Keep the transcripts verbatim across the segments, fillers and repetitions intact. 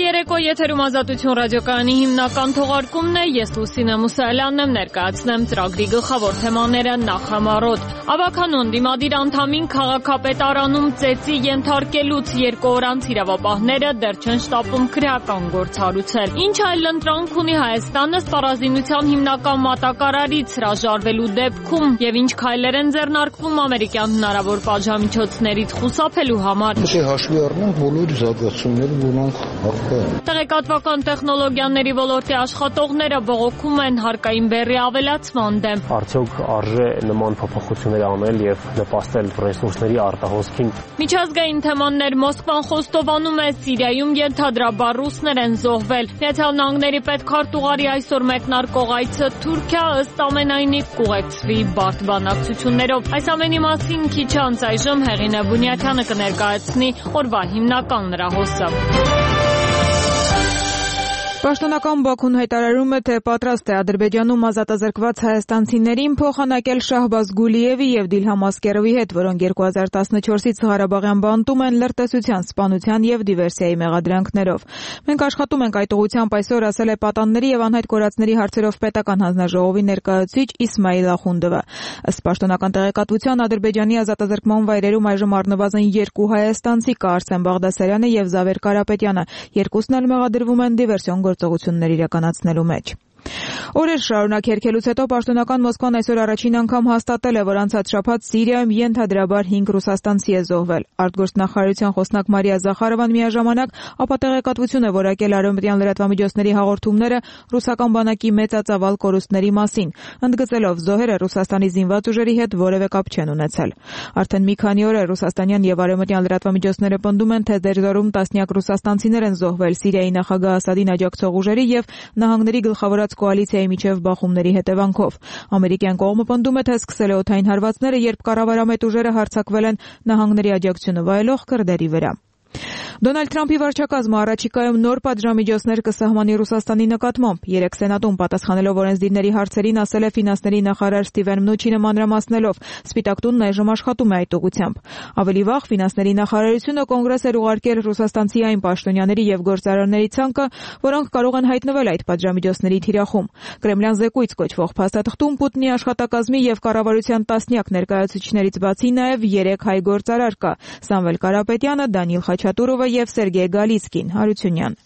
երեկո եթերում Ազատություն ռադիոկայանի հիմնական թողարկումն է, ես Լուսինե Մուսայելյանն եմ, ներկայացնեմ ծրագրի գլխավոր թեմաները նախամարոտ։ Ավագանուն դիմադիր անդամին քաղաքապետարանում ծեծի ենթարկելուց երկու օր անց իրավապահները դեռ չեն շտապում քրեական գործ հարուցել։ Ինչ այլ ընտրանք ունի Հայաստանը սպառազինության հիմնական մատակարարից հրաժարվելու դեպքում եւ ինչ քայլեր են ձեռնարկվում ամերիկյան հնարավոր պատժամիջոցներից խուսափելու համար։ Հաշվի առնենք բոլոր զարգացումները, որոնք առկա են։ Տեղեկատվական տեխնոլոգիաների ոլորտի աշխատողները բողոքում են հարկային բեռի ավելացման դեմ։ Արդյոք արժե նման փոփոխություններ անել եւ նպաստել ռեսուրսների արտահոսքին։ Միջազգային թեմաներ Մոսկվան խոստովանում է Սիրիայում ենթադրաբար ռուսներ են զոհվել։ Միացյալ Նահանգների պետքարտուղարի այսօր մեկնարկող այցը Թուրքիա ըստ ամենայնի կուղեկցվի բարդ բանակցություններով։ Այս ամենի մասին քիչ անց այժմ Հեղինե Բունյաթյանը կներկայացնի օրվա հիմնական լրահոսը։ Պաշտոնական Բաքուն հայտարարում է, թե պատրաստ է Ադրբեջանում ազատազրկված հայաստանցիներին փոխանակել Շահբազ Գուլիևի եւ Դիլհամ Ասկերովի հետ, որոնք երկու հազար տասնչորսից Ղարաբաղյան բանտում են լրտեսության, սպանության եւ դիվերսիայի մեղադրանքներով։ Մենք աշխատում ենք այդ ուղղությամբ, այսօր ասել է պատանների եւ անհայտ կորածների հարցերով պետական հանձնաժողովի ներկայացուցիչ Իսմայիլ Ախունդովը։ Ըստ պաշտոնական տեղեկատվության Ադրբեջանի ազատազրկման վայրերում այժմ առնվազն երկու հայաստանցի կա՝ Արսեն Բաղդասարյանը եւ Զավեր Կարապետյանը։ Երկուսն էլ մեղադրվում են դիվերսիոն գործողություններ իրականացնելու մեջ։ Օրեր շարունակ հերքելուց հետո պաշտոնական Մոսկվան այսօր առաջին անգամ հաստատել է, որ անցած շաբաթ Սիրիայում ենթադրաբար հինգ ռուսաստանցի է զոհվել։ Արտգործնախարարության խոսնակ Մարիա Զախարովան միաժամանակ ապա տեղեկատվություն է որակել արևմտյան լրատվամիջոցների հաղորդումները ռուսական բանակի մեծածավալ կորուստների մասին, ընդգծելով զոհերը Ռուսաստանի զինված ուժերի հետ որևէ կապ չեն ունեցել։ Արդեն մի քանի օր է ռուսաստանյան եւ արևմտյան լրատվամիջոցները պնդում են, թե դերձորում տասնյակ ռուսաստանցիներ են զոհվել Սիրիայի նախագահ Ասադին աջակցող ուժերի եւ նահանգների գլխավորած կոալիցիայի միջև բախումների հետևանքով։ Ամերիկյան կողմը պնդում է, թե սկսել է օդային հարվածները, երբ կառավարամետ ուժերը հարձակվել են նահանգների աջակցությունը վայելող քրդերի վրա։ Դոնալդ Թրամփի վարչակազմը առաջիկայում նոր պատժամիջոցներ կսահմանի Ռուսաստանի նկատմամբ։ Երեկ Սենատում պատասխանելով օրենսդիրների հարցերին ասել է ֆինանսների նախարար Ստիվեն Մնուչինը մանրամասնելով. Սպիտակ տունն այժմ աշխատում է այդ ուղղությամբ։ Ավելի վաղ ֆինանսների նախարարությունը կոնգրես էր ուղարկել ռուսաստանցի այն պաշտոնյաների եւ գործարարների ցանկը, որոնք կարող են հայտնվել այդ պատժամիջոցների թիրախում։ Կրեմլյան զեկույց կոչվող փաստաթղթում Պուտինի աշխատակազմի եւ կառավարության տասնյակ ներկայացուցիչներից բացի նաեւ երեք հայ գործարար կա՝ Սամվել Կարապետյանը, Դանիիլ Խաչատուրովը եւ Սերգեյ Գալիցկին, Հարությունյան։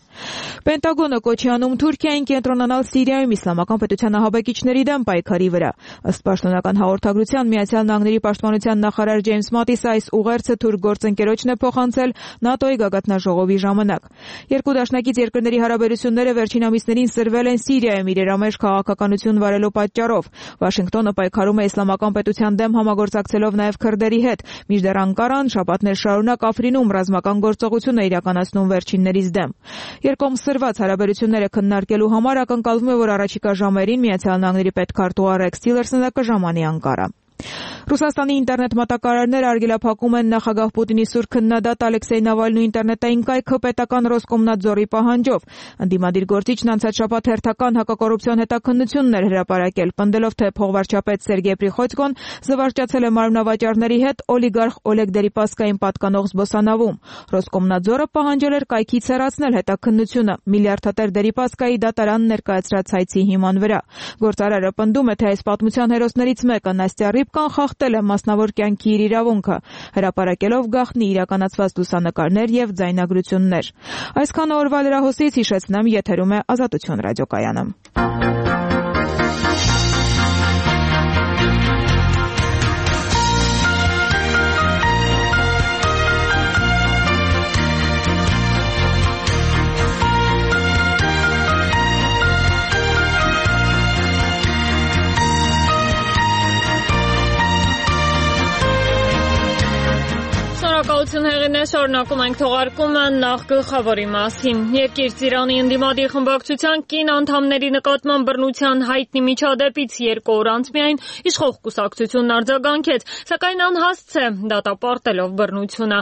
Պենտագոնը կոչ է անում Թուրքիային կենտրոնանալ Սիրիայում իսլամական պետության ահաբեկիչների դեմ պայքարի վրա։ Ըստ պաշտոնական հաղորդագրության Միացյալ Նահանգների պաշտպանության նախարար Ջեյմս Մատիսը այս ուղերձը թուրք գործընկերոջն է փոխանցել ՆԱՏՕ-ի գագաթնաժողովի ժամանակ։ Երկու դաշնակից երկրների հարաբերությունները վերջին ամիսներին սրվել են Սիրիայում իրերամերժ քաղաքականություն վարելու պատճառով։ Վաշինգտոնը պայքարում է իսլամական պետության դեմ համագործակցելով նաև քրդերի հետ, մինչդեռ Անկարան շաբաթներ շարունակ Աֆրինում ռազմական գործողություն է իրականացնում վերջիններից դեմ։ Երկկողմ սրված հարաբերությունները քննարկելու համար ակնկալվում է, որ առաջիկա ժամերին Միացյալ Նահանգների պետքարտուղար Ռեքս Տիլերսոնը կժամանի Անկարա։ Ռուսաստանի ինտերնետ մատակարարները արգելափակում են նախագահ Պուտինի սուր քննադատ Ալեքսեյ Նավալնու ինտերնետային կայքը պետական Ռոսկոմնadzորի պահանջով։ Ընդդիմադիր գործիչն անցած շաբաթ հերթական հակակոռուպցիոն հետաքննություններ հրապարակել, պնդելով, թե փոխվարչապետ Սերգեյ Պրիխոծկոն զվարճացել է մարմնավաճառների հետ օլիգարխ Օլեգ Դերիպասկային պատկանող զբոսանավում։ Ռոսկոմնadzորը պահանջել էր կայքից հեռացնել հետաքննությունը միլիարդատեր Դերիպասկայի դատարան ներկայացրած հայցի հիման վրա։ Գործարարը պնդում է, թե այս պատմության հերոսներից մեկը Նաստյա Ռիբկան խախտել է մասնավոր կյանքի իր իրավունքը, հրապարակելով գաղտնի իրականացված լուսանկարներ եւ ձայնագրություններ։ Այսքանը օրվա լրահոսից, հիշեցնեմ, եթերում է Ազատություն ռադիոկայանը։ Շնորհակալություն Հեղինե, շարունակում ենք թողարկումը նախ գլխավորի մասին։ Երկիր Իրանի ընդդիմադիր խմբակցության կին անդամների նկատմամբ բռնության հայտնի միջադեպից երկու օր անց միայն իշխող կուսակցությունն արձագանքեց, սակայն անհասցե դատապարտելով բռնությունը։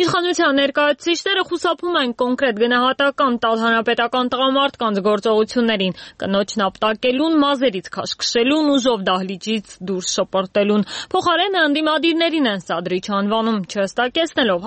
Իշխանության ներկայացուցիչները խուսափում են կոնկրետ գնահատական տալ հանրապետական տղամարդկանց գործողություններին, կնոջն ապտակելուն, մազերից քաշքշելուն, ուժով դահլիճից դուրս շպրտելուն։ Փոխարենը ընդդիմադիրներին են սադրիչ անվանում, չհստակեցնելով